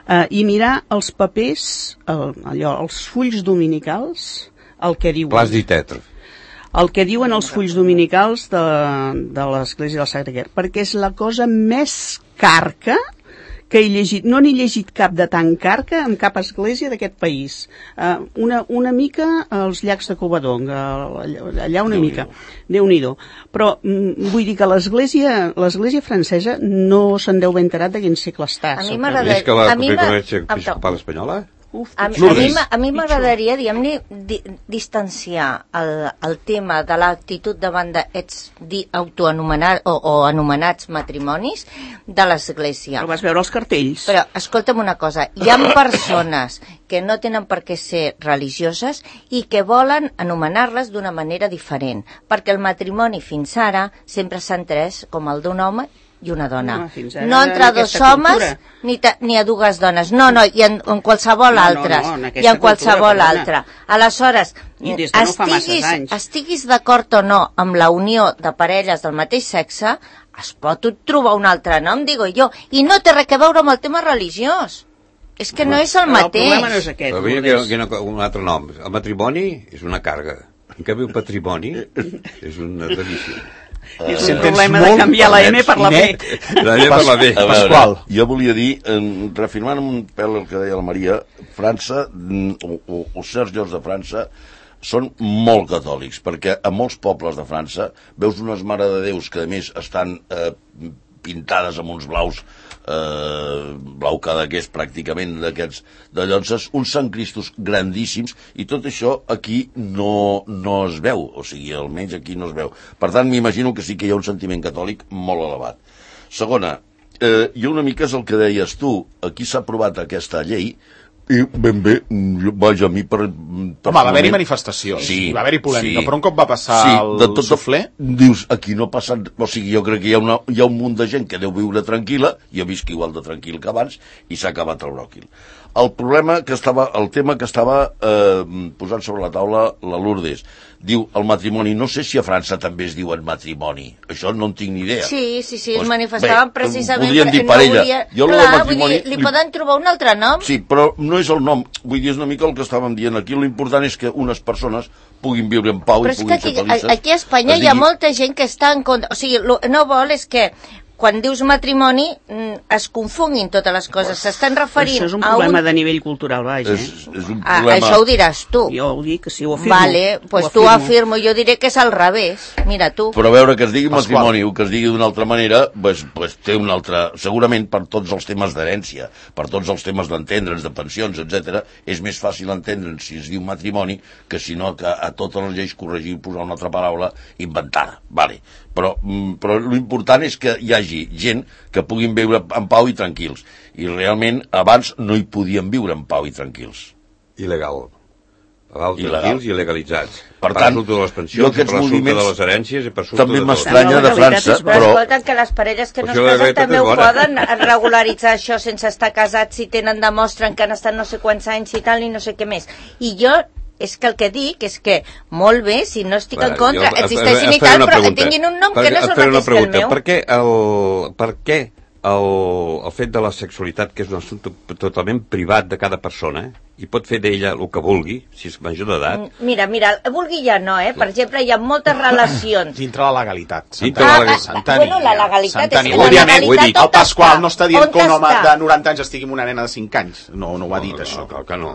Uh, I mirar els papers, el, allò, els fulls dominicals, el que diuen... Plas di tetre. El que diuen els fulls dominicals de, de l'església del Sacré-Cœur, perquè és la cosa més carca que he llegit, no n'he llegit cap de tan carca en cap església d'aquest país. Uh, una, una mica als llacs de Covadonga, allà una mica, Déu-n'hi-do. Però mm, vull dir que l'església l'església francesa no se'n deu haver enterat de quin segle està. A mi m'agrada... És que la Conferència Episcopal Espanyola... Uf, a, a mi m'agradaria, diguem-ne, di, distanciar el, el tema de l'actitud davant d'aquests autoanomenats o, o anomenats matrimonis de l'Església. Però vas veure els cartells. Però, escolta'm una cosa, hi ha persones que no tenen per què ser religioses i que volen anomenar-les d'una manera diferent, perquè el matrimoni fins ara sempre s'ha entès com el d'un home i una dona. No, no entre dos homes ni, ta, ni a dues dones. No, no, i en, en qualsevol no, altra. No, no, en I en qualsevol altra. Aleshores, no estiguis, estiguis d'acord o no amb la unió de parelles del mateix sexe, es pot trobar un altre nom, digo jo, i no té res a veure amb el tema religiós. És que no és el mateix. El problema no és aquest. Però que, que no, un altre nom. El matrimoni és una càrrega. En canvi, el patrimoni és una delícia. Uh, és un problema de canviar la M per la B. La M per la B. Pasqual. Jo volia dir, eh, reafirmant un pèl el que deia la Maria, França, o, o, o certs llocs de França, són molt catòlics, perquè a molts pobles de França veus unes Mare de Déus que a més estan eh, pintades amb uns blaus, eh, blau cadaqués pràcticament d'aquests de llonses, uns Sant Cristos grandíssims, i tot això aquí no, no es veu, o sigui, almenys aquí no es veu. Per tant, m'imagino que sí que hi ha un sentiment catòlic molt elevat. Segona, eh, jo una mica és el que deies tu, aquí s'ha aprovat aquesta llei, i ben bé, jo, vaja, a mi per... Home, va haver-hi manifestacions, sí, va haver-hi polèmica, sí, però un cop va passar sí, el de tot, suflé... Dius, aquí no passa... O sigui, jo crec que hi ha, una, hi ha un munt de gent que deu viure tranquil·la, jo visc igual de tranquil que abans, i s'ha acabat el bròquil. El problema que estava, el tema que estava eh, posant sobre la taula la Lourdes, diu el matrimoni, no sé si a França també es diuen matrimoni, això no en tinc ni idea. Sí, sí, sí, pues, es manifestaven bé, precisament... Podrien dir parella. No volia... Jo Clar, matrimoni, vull dir, li, li poden trobar un altre nom? Sí, però no és el nom, vull dir, és una mica el que estàvem dient aquí, l'important és que unes persones puguin viure en pau però i puguin aquí, ser felices. Aquí a Espanya digui... hi ha molta gent que està en contra, o sigui, lo, no vol és que quan dius matrimoni es confonguin totes les coses, s'estan referint a un... Això és un problema un... de nivell cultural, vaja. És, és un ah, problema... això ho diràs tu. Jo ho dic, sí, ho afirmo. Vale, doncs pues tu ho afirmo, jo diré que és al revés, mira tu. Però a veure, que es digui matrimoni o que es digui d'una altra manera, pues, pues té una altra... Segurament per tots els temes d'herència, per tots els temes d'entendre'ns, de pensions, etcètera, és més fàcil entendre'ns si es diu matrimoni que si no que a totes les lleis corregir i posar una altra paraula inventada. Vale. Però, però l'important és que hi hagi gent que puguin viure en pau i tranquils. I realment abans no hi podien viure en pau i tranquils. Il·legal. Pau, tranquils i legalitzats. Per tant, de les pensions, per l'assumpte de les herències i per l'assumpte també de m'estranya de França, però... Però escolten que les parelles que no es casen també ho poden regularitzar això sense estar casats, si tenen, demostren que han estat no sé quants anys i tal, i no sé què més. I jo... és que el que dic és que, molt bé, si no estic en contra, existeixin i tal, però tinguin un nom que no és el mateix que el meu. Per què el, per què el, el fet de la sexualitat, que és un assumpte totalment privat de cada persona, i pot fer d'ella el que vulgui, si és major d'edat... Mira, mira, vulgui ja no, eh? Per exemple, hi ha moltes relacions... Dintre la legalitat. Dintre la legalitat. Santani. Bueno, la legalitat Santani. és que la Òbviament, legalitat el Pasqual no està dient que un home està? de noranta anys estigui amb una nena de cinc anys. No, no ho ha dit, no, això. No, que no.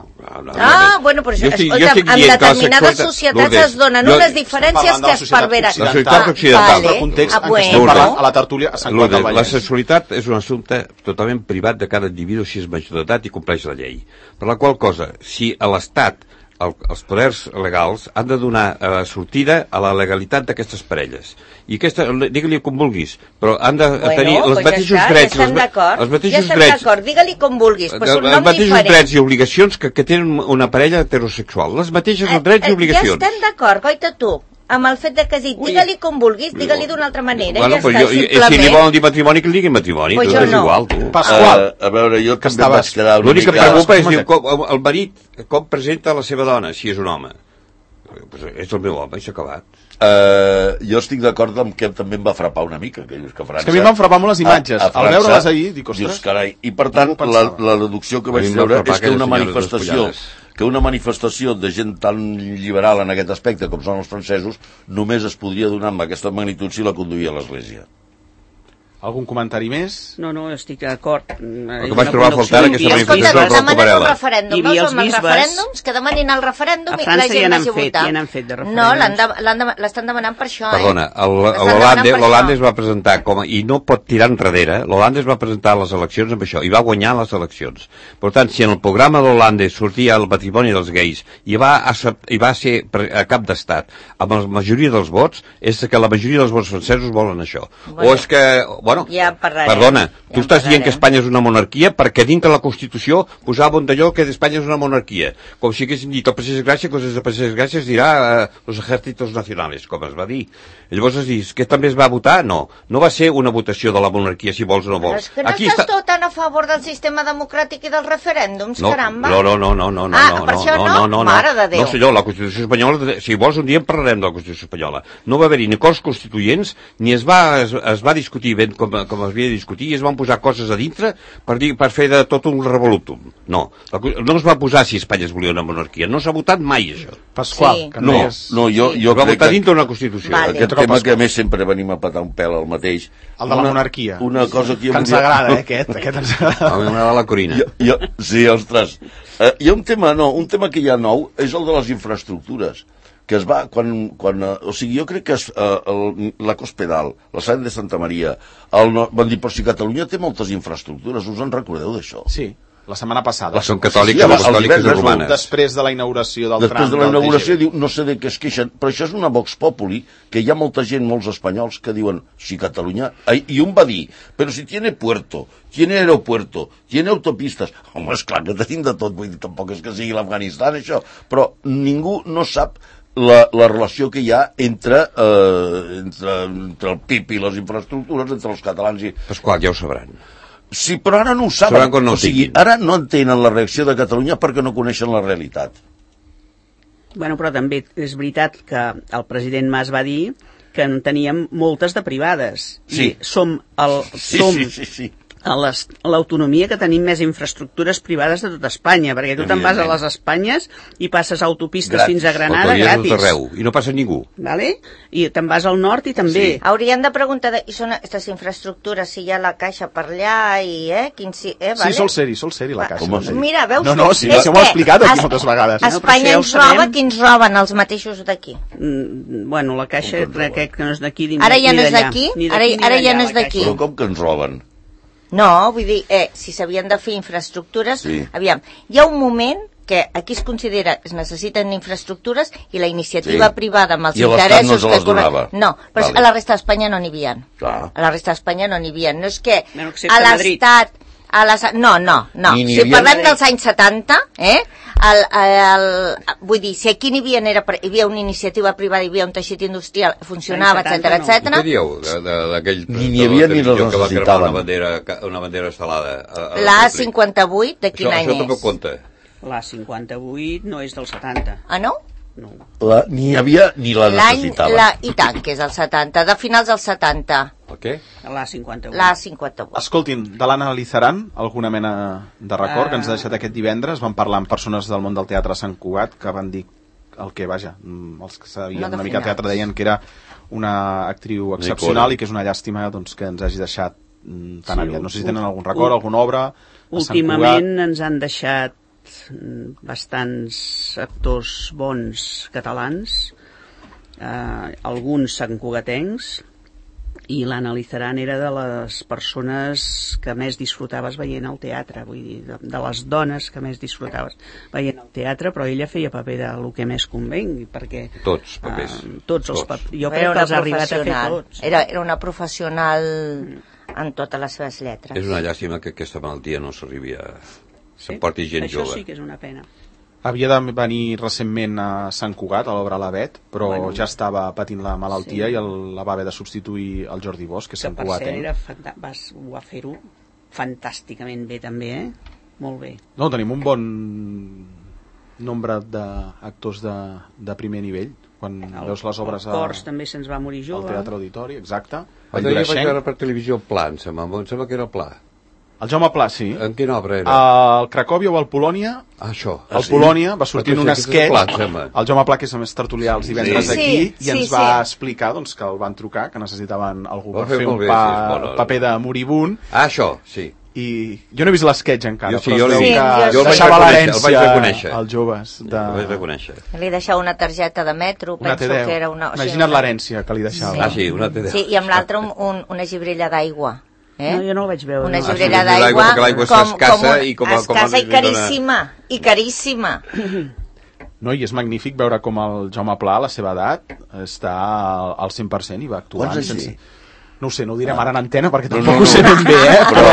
no ah, bueno, però això, escolta, en determinades societats es donen unes diferències que es perveren. La societat occidental. Vale. Context ah, en què estem parlant a la tertúlia a Sant Quart del Vallès. La sexualitat és un assumpte totalment privat de cada individu si és major d'edat i compleix la llei. Per la qual cosa, si a l'Estat, el, els poders legals, han de donar eh, sortida a la legalitat d'aquestes parelles. I aquesta, digue-li com vulguis, però han de bueno, tenir els pues mateixos ja drets. Ja estan d'acord, ja estan d'acord, digue-li com vulguis, però és un nom els mateixos diferent. drets i obligacions que, que tenen una parella heterosexual. Les mateixes eh, drets i obligacions. Ja estem d'acord, goita tu, amb el fet de que has dit, digue-li com vulguis, digue-li d'una altra manera, bueno, ja està, jo, simplement. Si li volen dir matrimoni, que li diguin matrimoni, pues tu és no. igual, tu. Pasqual, uh, a veure, jo que també vaig quedar una l'únic mica... que em preocupa és dir, com, el marit com presenta la seva dona, si és un home. Pues és el meu home, i s'ha acabat. Uh, jo estic d'acord amb que també em va frapar una mica, que dius que França... És que a mi em van frapar molt les imatges. A, a França, al veure-les ahir, dic, ostres... Dius, carai, i per tant, la, la deducció que vaig treure és que una manifestació que una manifestació de gent tan liberal en aquest aspecte com són els francesos només es podria donar amb aquesta magnitud si la conduïa l'Església. Algun comentari més? No, no, estic d'acord. El que vaig trobar a faltar aquesta manifestació del Rocco Varela. Hi havia els bisbes. Referèndums, que demanin el referèndum i la gent vagi a votar. Ja n'han fet de referèndums. No, l'estan demanant per això, eh? Perdona, l'Hollande es va presentar com a, i no pot tirar enrere, l'Hollande es va presentar a les eleccions amb això, i va guanyar les eleccions. Per tant, si en el programa d'Hollande sortia el matrimoni dels gais i va, i va ser a cap d'estat amb la majoria dels vots, és que la majoria dels vots francesos volen això. O és que... Bueno, ja parlarem, perdona, ja tu estàs dient que Espanya és una monarquia perquè dintre la Constitució posava un d'allò que Espanya és una monarquia. Com si haguéssim dit el Passeig Gràcia, coses de Passeig Gràcia es dirà eh, los ejércitos nacionales, com es va dir. Llavors es dius, que també es va votar? No, no va ser una votació de la monarquia si vols o no vols. Però és que no Aquí estàs està... tu tan a favor del sistema democràtic i dels referèndums, no, caramba. No, no, no, no, no, no, ah, no, per no, això no, no, no, no, mare de Déu. No, senyor, la Constitució espanyola, si vols un dia en parlarem de la Constitució espanyola. No va haver-hi ni cors constituents, ni es va, es, es va discutir ben com, com es havia de discutir, i es van posar coses a dintre per, dir, per fer de tot un revolutum. No, la, no es va posar si Espanya es volia una monarquia, no s'ha votat mai això. Pasqual, sí. que no, és... no, jo, jo va crec votar que... dintre una Constitució. Vale. Aquest tema que a més sempre venim a petar un pèl al mateix. El de la monarquia. Una cosa que, que ens agrada, eh, aquest. aquest que t'ens agrada. A mi m'agrada la Corina. Jo, jo, sí, ostres. Uh, hi ha un tema, no, un tema que hi ha nou, és el de les infraestructures, que es va, quan, quan uh, o sigui, jo crec que es, uh, el, la Cospedal, la Sant de Santa Maria, el, no, van dir, però si Catalunya té moltes infraestructures, us en recordeu d'això? Sí. La setmana passada. Són catòliques, Sí, les el catòliques divendres, romanes. Després de la inauguració del Després tram de la del inauguració T G V. diu, no sé de què es queixen, però això és una Vox Populi, que hi ha molta gent, molts espanyols, que diuen, si Catalunya... I un va dir, però si tiene puerto, tiene aeropuerto, tiene autopistes... Home, esclar que tenim de tot, vull dir, tampoc és que sigui l'Afganistan, això, però ningú no sap la, la relació que hi ha entre, eh, entre, entre el P I B i les infraestructures, entre els catalans i... Pasqual, ja ho sabran. Sí, però ara no ho saben. Sabran quan no o sigui, tinguin. ara no entenen la reacció de Catalunya perquè no coneixen la realitat. Bueno, però també és veritat que el president Mas va dir que en teníem moltes de privades. Sí. I som, el, Sí, som sí, sí, sí. a les- a l'autonomia que tenim més infraestructures privades de tota Espanya, perquè tu te'n vas a les Espanyes i passes autopistes Gratis. fins a Granada Autovies gratis. d'arreu, i no passa ningú. Vale? I te'n vas al nord i també. Sí. Haurien de preguntar, de, i són aquestes infraestructures, si hi ha la caixa per allà, i, eh, quin si, eh, vale? Sí, sol ser-hi, sol ser-hi la Va, caixa. com sol ser-hi. Mira, veus? No, no, que- sí, és ja ho he que explicat aquí es- moltes vegades. No, però Espanya això ja ho ens roba, sabem. qui ens roben els mateixos d'aquí? Mm, bueno, la caixa crec que no és d'aquí ni Ara ja ni no és d'allà. d'aquí? Ni Ara- d'aquí ni ara ja d'allà, no la és d'aquí. caixa. Però com que ens roben? No, vull dir, eh, si s'havien de fer infraestructures, Sí. aviam, hi ha un moment que aquí es considera que es necessiten infraestructures i la iniciativa Sí. privada amb els I a l'Estat interessos... no se les que corren- donava. No, però Vale. a la resta d'Espanya no n'hi havia. Clar. A la resta d'Espanya no n'hi havia. No és que Bueno, excepte a a Madrid. l'Estat... A les... No, no, no. Ni n'hi Si havia- parlem dels anys setanta, eh? El, el, vull dir, si aquí n'hi havia, era, hi havia una iniciativa privada, hi havia un teixit industrial, funcionava, Anys etcètera, setanta no. etcètera. Què dieu de- de- d'aquell Ni n'hi havia ni televisió les que va cremar necessitaven. una bandera, una bandera estelada? a- a La Públic? cinquanta-vuit, de quin Això, any això també ho és? compta. La cinquanta-vuit no és del setanta. Ah, no? No. La, ni hi havia ni la L'any, necessitaven. la, i tant, que és el setanta, de finals del setanta, El què? La cinquanta-vuit. la cinquanta-vuit. Escoltin, de l'analitzaran alguna mena de record Ah. que ens ha deixat aquest divendres. Vam parlar amb persones del món del teatre a Sant Cugat que van dir el que, vaja, mm, els que sabien No de una mica de teatre finals. deien que era una actriu excepcional i que és una llàstima doncs, que ens hagi deixat mm, tan Sí, aviat. No sé si ul- tenen algun record, ul- alguna obra a Sant Últimament Cugat. ens han deixat mm, bastants actors bons catalans, eh, alguns santcugatencs, i l'analitzaran era de les persones que més disfrutaves veient el teatre, vull dir, de, de les dones que més disfrutaves veient el teatre, però ella feia paper de lo que més convengui, perquè Tots papers. eh, tots els Tots. papers, jo Era crec que una els ha arribat a fer professional. tots. Era, era una professional en totes les seves lletres. És una llàstima que aquesta malaltia no s'arribi a... Sí, s'emporti gent això jove. sí que és una pena. Havia de venir recentment a Sant Cugat, a l'obra l'Avet, però Bueno. ja estava patint la malaltia Sí. i el, la va haver de substituir el Jordi Bosch, que és Que Sant per Cugat. cert Eh? era fanta- vas, ho va fer-ho fantàsticament bé també, eh? Molt bé. No, tenim un bon nombre d'actors de, de primer nivell. Quan El, veus les obres el a, Cors també se'ns va morir al jove. Teatre Auditori, exacte. Ah, El jo vaig Jurashenk. veure per televisió Pla, em sembla, em sembla que era Pla. El Jaume Pla, sí. En quina obra era? El Cracòvia o el Polònia, Ah, això. el Polònia va sortir en un Perquè sí, aquest és el Pla, em sketch, sembla. el Jaume Pla, que és a més tertulià els divendres Sí. aquí, Sí, i ens sí, va sí. explicar doncs, que el van trucar, que necessitaven algú Ho va per fer fer molt un bé, pa, sí, és bona. paper de moribund, Ah, això, sí. i jo no he vist l'esquetch encara, Jo sí, però jo es l'he veu vist. que Sí, jo el vaig deixava reconèixer, el l'herència vaig reconèixer. als joves. De... Ho vaig reconèixer. Li deixava una targeta de metro, Una penso T deu. que era una... o sigui, Imagina't una- l'herència que li deixava. Ah, sí, una T deu. Sí, i amb l'altre un, un, una gibrella d'aigua. Eh? No, jo no el vaig veure. Una no. gibrella Ah, sí, d'aigua perquè l'aigua és com, escassa com un, i com a- com a- escassa i li dona- caríssima, i caríssima. No, i és magnífic veure com el Jaume Pla, a la seva edat, està al- al cent per cent i va actuant. Quants anys sense... té? No ho sé, no ho direm ara en antena perquè No, tampoc no, ho sé no. ben bé, eh? Però,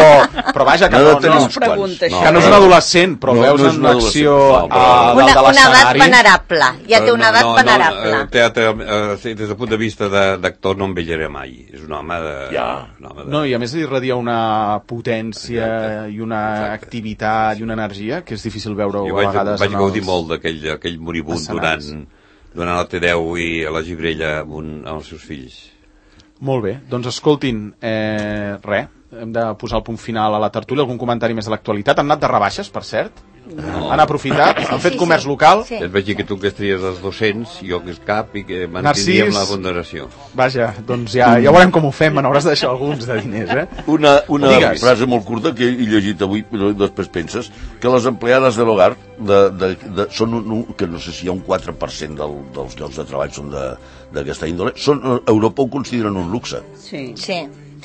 però vaja, que No no, ha de no, tenir no, uns pregunta quants. això. que no és un adolescent, però No, veus no és en un l'acció adolescent, no, però- a Una, dalt de una edat l'escenari. venerable, ja té una edat no, venerable. No, el teatre, eh, sí, des del punt de vista de- d'actor no envellaré mai. És un home de... Ja. un home de... No, i a més irradia una potència Exacte. i una Exacte. activitat i una energia que és difícil veure-ho Jo a vaig, vegades vaig en gaudir els... molt d'aquell aquell moribund escenaris. donant, donant la T deu i a la gibrella amb, un, amb els seus fills. Molt bé, doncs escoltin, eh, res, hem de posar el punt final a la tertúlia, algun comentari més de l'actualitat. Han anat de rebaixes, per cert? No. Han aprofitat, han fet sí, comerç sí. local. Sí. Et vaig dir que tu que estries els dos-cents, jo que és cap, i que Narcís. mantindríem la ponderació. Vaja, doncs ja, ja veurem com ho fem, me n'hauràs de deixar alguns de diners, eh? Una, una Digues. frase molt curta que he llegit avui, però després penses que les empleades de l'hogar de, de, de, són un, un, que no sé si hi ha un quatre per cent del, dels llocs de treball són d'aquesta índole, són, a Europa ho consideren un luxe. Sí. Sí.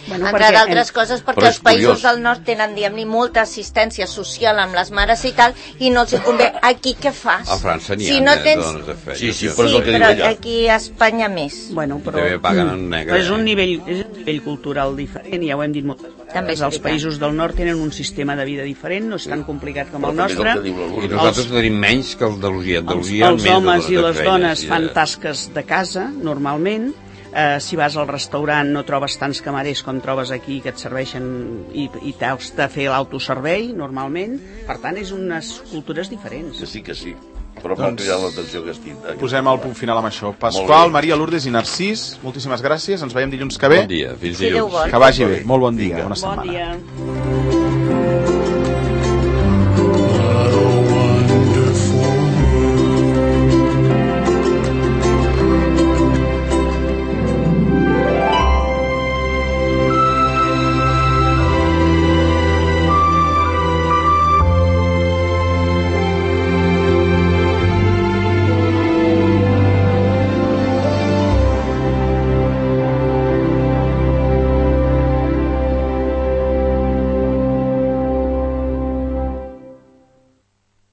Bueno, Entre perquè- d'altres coses perquè Però és els països curiós. del nord tenen, diguem-ne, molta assistència social amb les mares i tal, i no els hi convé. Aquí què fas? A França n'hi si ha no de tens... dones de feina. Sí, sí, Sí, però és el que diu però ella. aquí a Espanya més. Bueno, però, També paguen en negre, però és un eh? nivell, és un nivell cultural diferent, ja ho hem dit moltes vegades. També és Els veritat. països del nord tenen un sistema de vida diferent, no és tan complicat com Però el també és el nostre. que diu la I Lourdes. nosaltres tenim menys que els d'Andalusia. Els, Andalusia els més homes i de les feines, dones i fan de- tasques de casa, normalment. Eh, si vas al restaurant no trobes tants camarers com trobes aquí que et serveixen i, i t'has de fer l'autoservei, normalment. Per tant, és unes cultures diferents. Que sí, que sí. Però m'ha Doncs- cridat l'atenció aquesta. Posem el punt final amb això. Molt Pasqual, bé. Maria, Lourdes i Narcís, moltíssimes gràcies. Ens veiem dilluns que ve. Bon dia, fins Si Déu dilluns. vol. Que vagi bé. Molt bon dia. Vinga. Bona Bon setmana. dia.